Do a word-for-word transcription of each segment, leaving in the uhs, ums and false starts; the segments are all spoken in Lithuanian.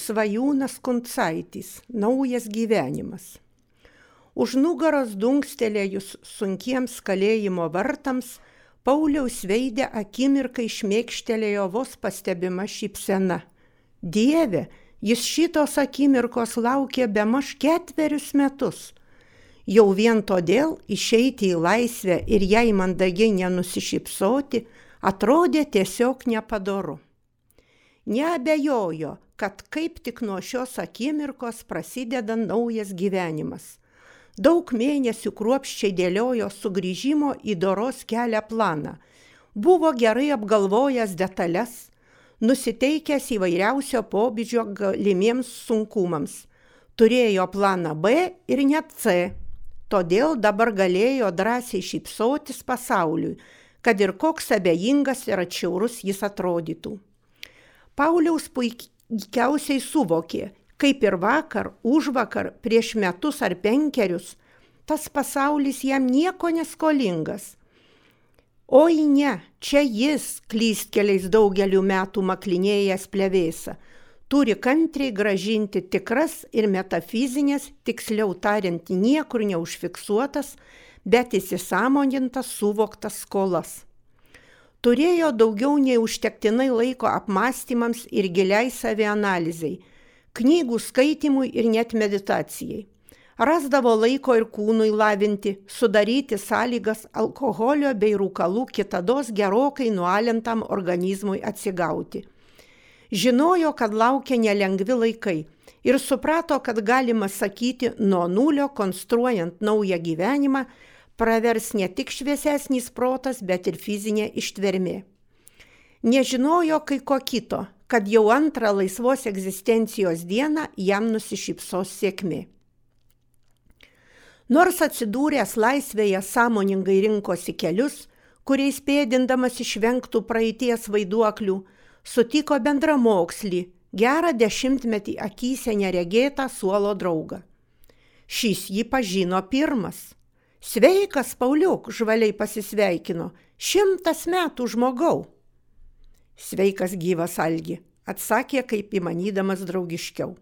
Svajūnas Kuncaitis, naujas gyvenimas. Už nugaros dunkstelėjus sunkiems kalėjimo vartams, Pauliaus veide akimirkai šmėkštelėjo vos pastebima šypsena. Dieve, jis šitos akimirkos laukė bemaž ketverius metus. Jau vien todėl išeiti į laisvę ir jai mandagiai nenusišypsoti atrodė tiesiog nepadoru. Neabejojo, kad kaip tik nuo šios akimirkos prasideda naujas gyvenimas. Daug mėnesių kruopščiai dėliojo sugrįžimo į doros kelią planą. Buvo gerai apgalvojęs detalės, nusiteikęs įvairiausio pobūdžio galimiems sunkumams. Turėjo planą B ir net C. Todėl dabar galėjo drąsiai šypsotis pasauliui, kad ir koks abejingas ir atšiaurus jis atrodytų. Pauliaus puikiausiai suvokė, kaip ir vakar, užvakar, prieš metus ar penkerius, tas pasaulis jam nieko neskolingas. Oi ne, čia jis, klystkeliais daugelių metų maklinėjęs plevėsa, turi kantriai gražinti tikras ir metafizinės, tiksliau tariant, niekur neužfiksuotas, bet įsisąmonintas suvoktas skolas. Turėjo daugiau nei užtektinai laiko apmąstymams ir giliai savianalizei, knygų skaitimui ir net meditacijai. Rasdavo laiko ir kūnui lavinti, sudaryti sąlygas alkoholio bei rūkalų kitados gerokai nualintam organizmui atsigauti. Žinojo, kad laukia nelengvi laikai ir suprato, kad galima sakyti, nuo nulio konstruojant naują gyvenimą, pravers ne tik šviesesnis protas, bet ir fizinė ištvermė. Nežinojo kai ko kito, kad jau antrą laisvos egzistencijos dieną jam nusišypsos sėkmė. Nors atsidūręs laisvėje sąmoningai rinkosi kelius, kuriais pėdindamas išvengtų praeities vaiduoklių, sutiko bendramokslį, gerą dešimtmetį akyse neregėtą suolo draugą. Šis jį pažino pirmas. Sveikas, Pauliuk, žvaliai pasisveikino, šimtas metų žmogau. Sveikas gyvas Algi, atsakė kaip įmanydamas draugiškiau.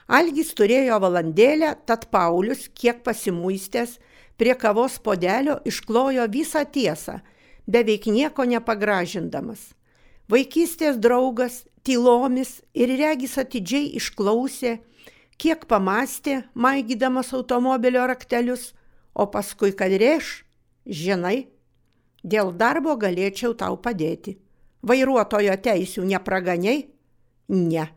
Algis turėjo valandėlę, tad Paulius, kiek pasimuistęs, prie kavos puodelio išklojo visą tiesą, beveik nieko nepagražindamas. Vaikystės draugas tylomis ir regis atidžiai išklausė, kiek pamastė, maigydamas automobilio raktelius, o paskui kad rėš, žinai, dėl darbo galėčiau tau padėti. Vairuotojo teisių nepraganiai? Ne.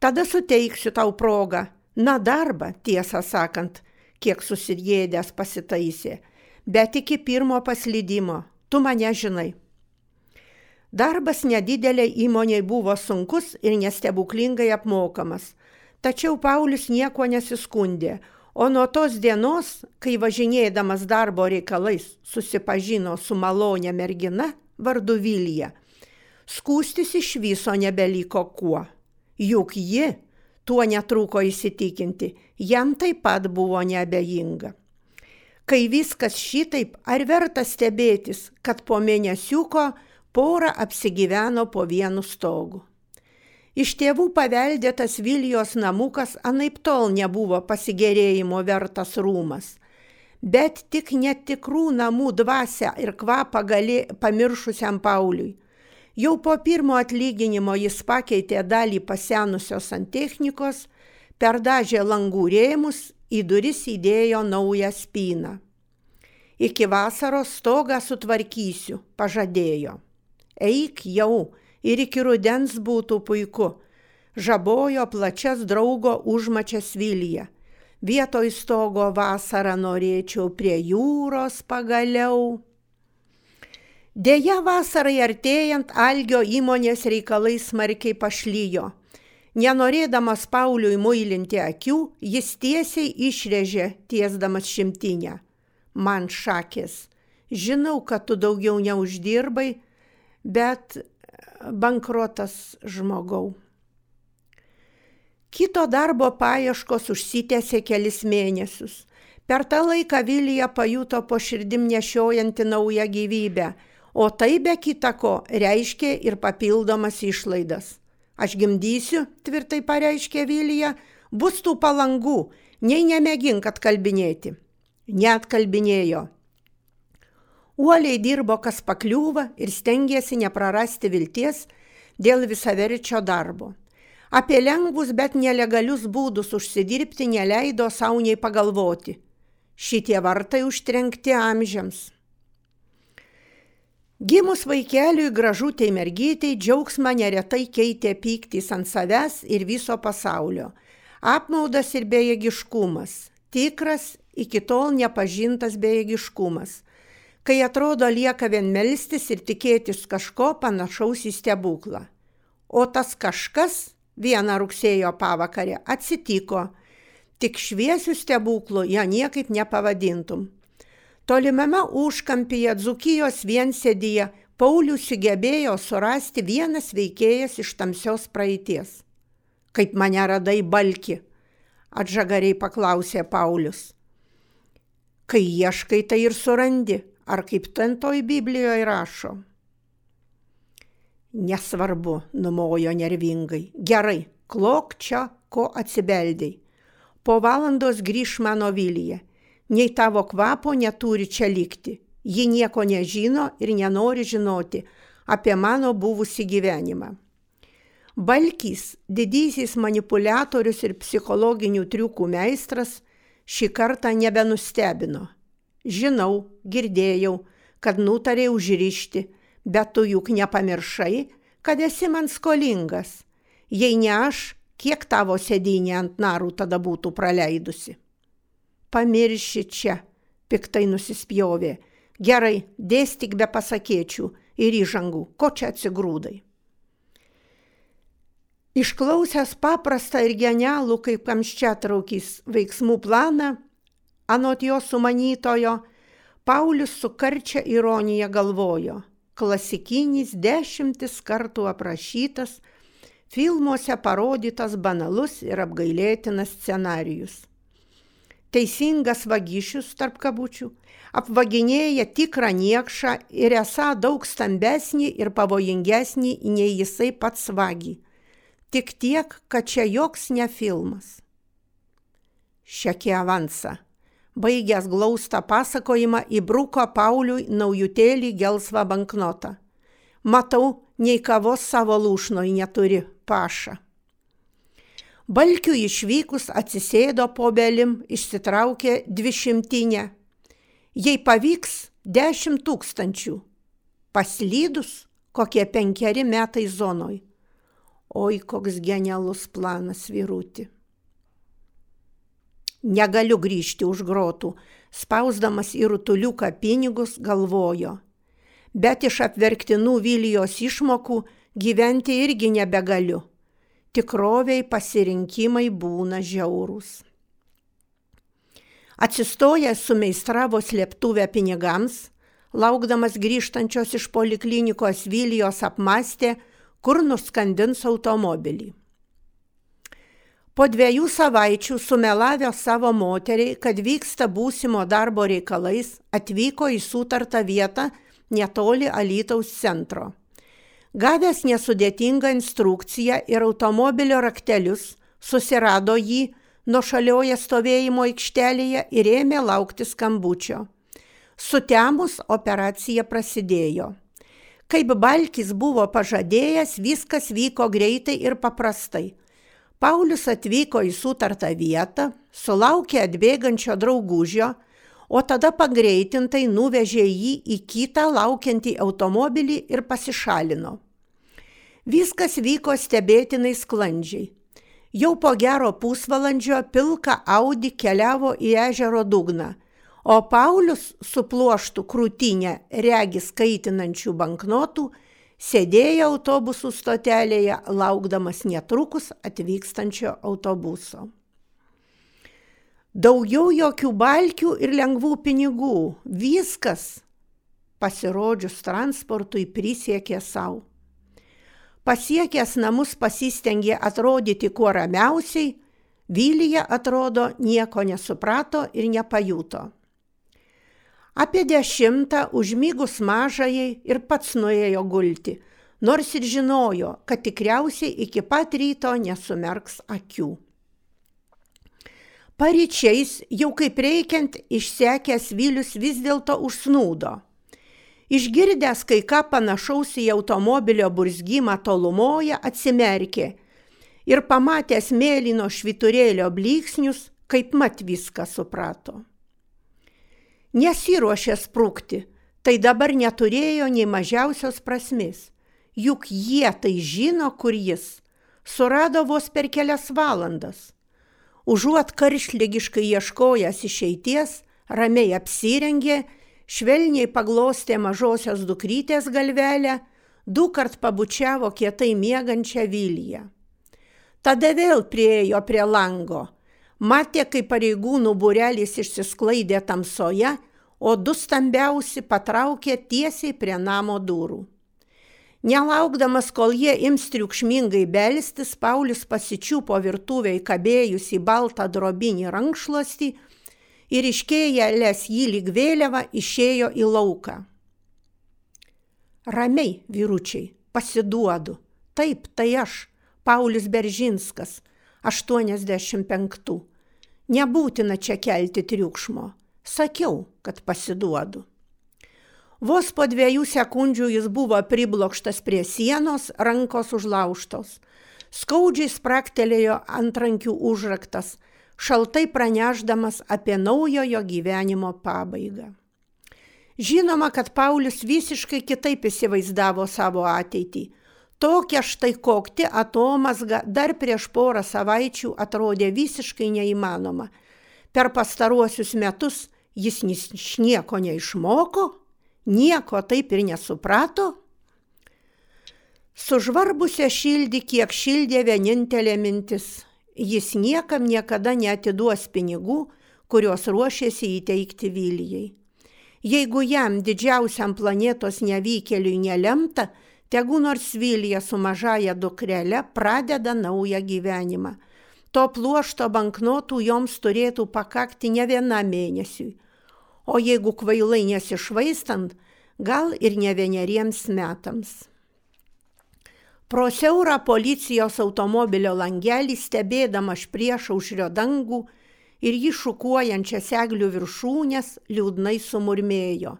Tada suteiksiu tau progą. Na darbą, tiesą sakant, kiek susirėdęs pasitaisė, bet iki pirmo paslydimo, tu mane žinai. Darbas nedidelė įmonei buvo sunkus ir nestebuklingai apmokamas, tačiau Paulius nieko nesiskundė, o nuo tos dienos, kai važinėdamas darbo reikalais susipažino su malonė mergina vardu Vilija, skųstis iš viso nebeliko kuo. Juk ji, tuo netrūko įsitikinti, jam taip pat buvo neabejinga. Kai viskas šitaip, ar verta stebėtis, kad po mėnesiuko pora apsigyveno po vienu stogu. Iš tėvų paveldėtas Vilijos namukas anaiptol nebuvo pasigėrėjimo vertas rūmas, bet tik netikrų namų dvasią ir kvapą galė pamiršusiam Pauliui. Jau po pirmo atlyginimo jis pakeitė dalį pasenusios santechnikos, perdažė langų rėmus, į duris įdėjo naują spyną. Iki vasaros stogą sutvarkysiu, pažadėjo. Eik jau, ir iki rudens būtų puiku, žabojo plačias draugo užmačias Vilija. Vietoj stogo vasarą norėčiau prie jūros pagaliau. Deja, vasarai artėjant Algio įmonės reikalai smarkiai pašlyjo. Nenorėdamas Pauliui muilinti akių, jis tiesiai išrėžė, tiesdamas šimtinę. Man šakės, žinau, kad tu daugiau neuždirbai, bet bankrotas žmogau. Kito darbo paieškos užsitęsė kelis mėnesius. Per tą laiką Vilija pajuto po širdim nešiojanti naują gyvybę, o tai be kita ko reiškė ir papildomas išlaidas. Aš gimdysiu, tvirtai pareiškė Vilija, bus tų palangų, nei nemėgink atkalbinėti. Neatkalbinėjo. Uoliai dirbo, kas pakliūva ir stengėsi neprarasti vilties dėl visaverčio darbo. Apie lengvus, bet nelegalius būdus užsidirbti neleido sau nei pagalvoti. Šitie vartai užtrenkti amžiams. Gimus vaikeliui gražutei mergytei džiaugsmą neretai keitė pyktis ant savęs ir viso pasaulio. Apmaudas ir bejėgiškumas. Tikras, iki tol nepažintas bejėgiškumas. Kai atrodo lieka vien melstis ir tikėtis kažko panašaus į stebuklą. O tas kažkas vieną rugsėjo pavakarę atsitiko. Tik šviesių stebuklų ją niekaip nepavadintum. Tolimame užkampyje Dzūkijos viensėdyje Paulius sugebėjo surasti vienas veikėjas iš tamsios praeities. Kaip mane radai, Balki? Atžagariai paklausė Paulius. Kai ieškai, tai ir surandi. Ar kaip ten toj Biblijoje rašo? Nesvarbu, numojo nervingai. Gerai, klok čia, ko atsibeldei. Po valandos grįš mano Vilija. Nei tavo kvapo neturi čia likti. Ji nieko nežino ir nenori žinoti apie mano buvusį gyvenimą. Balkys, didysis manipuliatorius ir psichologinių triukų meistras, šį kartą nebenustebino. Žinau, girdėjau, kad nutarė užrišti, bet tu juk nepamiršai, kad esi man skolingas. Jei ne aš, kiek tavo sėdynė ant narų tada būtų praleidusi? Pamirši čia, piktai nusispjovė. Gerai, dėstyk be pasakėčių ir įžangų, ko čia atsigrūdai. Išklausęs paprastą ir genialų kaip kamščiatraukis veiksmų planą, anot jo sumanytojo, Paulius su karčia ironija galvojo. Klasikinis dešimtis kartų aprašytas, filmuose parodytas banalus ir apgailėtinas scenarijus. Teisingas vagišius, tarp kabučių, apvaginėja tikrą niekšą ir esą daug stambesnį ir pavojingesnį nei jisai pats vagį. Tik tiek, kad čia joks ne filmas. Šekė avansa. Baigęs glaustą pasakojimą įbruko Pauliui naujutėlį gelsvą banknotą. Matau, nei kavos savo lūšnoj neturi, paša. Balkiui išvykus atsisėdo po belim, išsitraukė dvišimtinę. Jei pavyks, dešimt tūkstančių. Paslydus, kokie penkeri metai zonoj. Oi, koks genialus planas, vyruti. Negaliu grįžti už grotų, spausdamas į rutuliuką pinigus, galvojo. Bet iš apverktinų Vilijos išmokų gyventi irgi nebegaliu. Tikroviai pasirinkimai būna žiaurūs. Atsistojęs sumeistravo slėptuvę pinigams, laukdamas grįžtančios iš poliklinikos Vilijos apmąstė, kur nuskandins automobilį. Po dviejų savaičių sumelavę savo moteriai, kad vyksta būsimo darbo reikalais, atvyko į sutartą vietą netoli Alytaus centro. Gavęs nesudėtingą instrukciją ir automobilio raktelius, susirado jį nuošalioje stovėjimo aikštelėje ir ėmė laukti skambučio. Sutemus operacija prasidėjo. Kaip Balkis buvo pažadėjęs, viskas vyko greitai ir paprastai. Paulius atvyko į sutartą vietą, sulaukė atbėgančio draugužio, o tada pagreitintai nuvežė jį į kitą laukiantį automobilį ir pasišalino. Viskas vyko stebėtinai sklandžiai. Jau po gero pusvalandžio pilka Audi keliavo į ežero dugną, o Paulius su pluoštu krūtinę regis kaitinančių banknotų sėdėjo autobusų stotelėje, laukdamas netrukus atvykstančio autobuso. Daugiau jokių balkių ir lengvų pinigų. Viskas, pasirodžius transportui, prisiekė savo. Pasiekęs namus pasistengė atrodyti kuo ramiausiai, Vilija, atrodo, nieko nesuprato ir nepajuto. Apie dešimtą užmygus mažajai ir pats nuėjo gulti, nors ir žinojo, kad tikriausiai iki pat ryto nesumerks akių. Paryčiais, jau kaip reikiant, išsekęs Vilius vis dėlto užsnūdo. Išgirdęs kai ką panašaus į automobilio burzgimą tolumoje, atsimerkė ir pamatęs mėlyno švyturėlio blyksnius, kaip mat viską suprato. Nesiruošė sprukti, tai dabar neturėjo nei mažiausios prasmės, juk jie tai žino, kur jis, surado vos per kelias valandas. Užuot karštligiškai ieškojęs išeities, ramiai apsirengė, švelniai paglostė mažosios dukrytės galvelę, dukart pabučiavo kietai miegančią Viliją. Tada vėl priėjo prie lango, matė, kaip pareigūnų būrelis išsisklaidė tamsoje, o du stambiausi patraukė tiesiai prie namo durų. Nelaukdamas, kol jie ims triukšmingai belstis, Paulius pasičiupo virtuvėj kabėjusį baltą drobinį rankšluostį ir iškėlęs jį lyg vėliavą išėjo į lauką. Ramiai, vyručiai, pasiduodu. Taip, tai aš, Paulius Beržinskas, aštuoniasdešimt penktų. Nebūtina čia kelti triukšmo. Sakiau, kad pasiduodu. Vos po dviejų sekundžių jis buvo priblokštas prie sienos, rankos užlaužtos. Skaudžiai spraktelėjo antrankių užraktas, šaltai pranešdamas apie naujojo gyvenimo pabaigą. Žinoma, kad Paulius visiškai kitaip įsivaizdavo savo ateitį. Tokia štai kokti atomazga dar prieš porą savaičių atrodė visiškai neįmanoma. Per pastaruosius metus jis nieko neišmoko, nieko taip ir nesuprato. Sužvarbusią širdį kiek šildė vienintelė mintis. Jis niekam niekada neatiduos pinigų, kuriuos ruošėsi įteikti Vilijai. Jeigu jam, didžiausiam planetos nevykėliui, nelemta, tegu nors Vilija su mažaja dukrele pradeda naują gyvenimą. To pluošto banknotų joms turėtų pakakti ne vienam mėnesiui. O jeigu kvailai nesišvaistant, gal ir ne vieneriems metams. Pro siaurą policijos automobilio langelį stebėdama špriešaušrio dangų ir jį šukuojančias eglių viršūnės liūdnai sumurmėjo.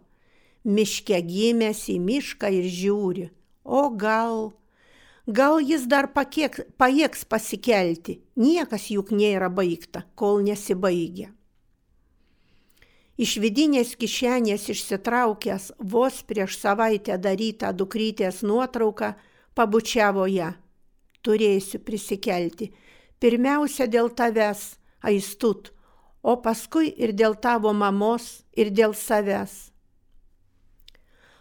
Miške gimęs į mišką ir žiūri. O gal, gal jis dar pakiek, pajėgs pasikelti. Niekas juk nėra baigta, kol nesibaigia. Iš vidinės kišenės išsitraukęs vos prieš savaitę darytą dukrytės nuotrauką, pabučiavo ją. Turėsiu prisikelti. Pirmiausia dėl tavęs, Aistut, o paskui ir dėl tavo mamos, ir dėl savęs.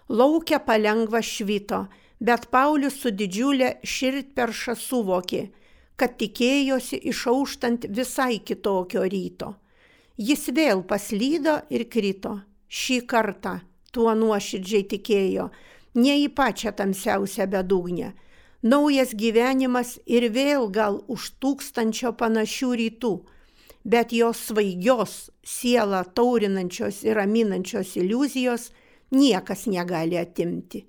Lauke palengva švito, bet Paulius su didžiulė širdperša suvokė, kad tikėjosi išauštant visai kitokio ryto. Jis vėl paslydo ir krito. Šį kartą, tuo nuoširdžiai tikėjo, ne į pačią tamsiausią bedugnę. Naujas gyvenimas ir vėl gal už tūkstančio panašių rytų, bet jos svaigios, sielą taurinančios ir raminančios iliuzijos niekas negali atimti.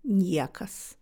Niekas.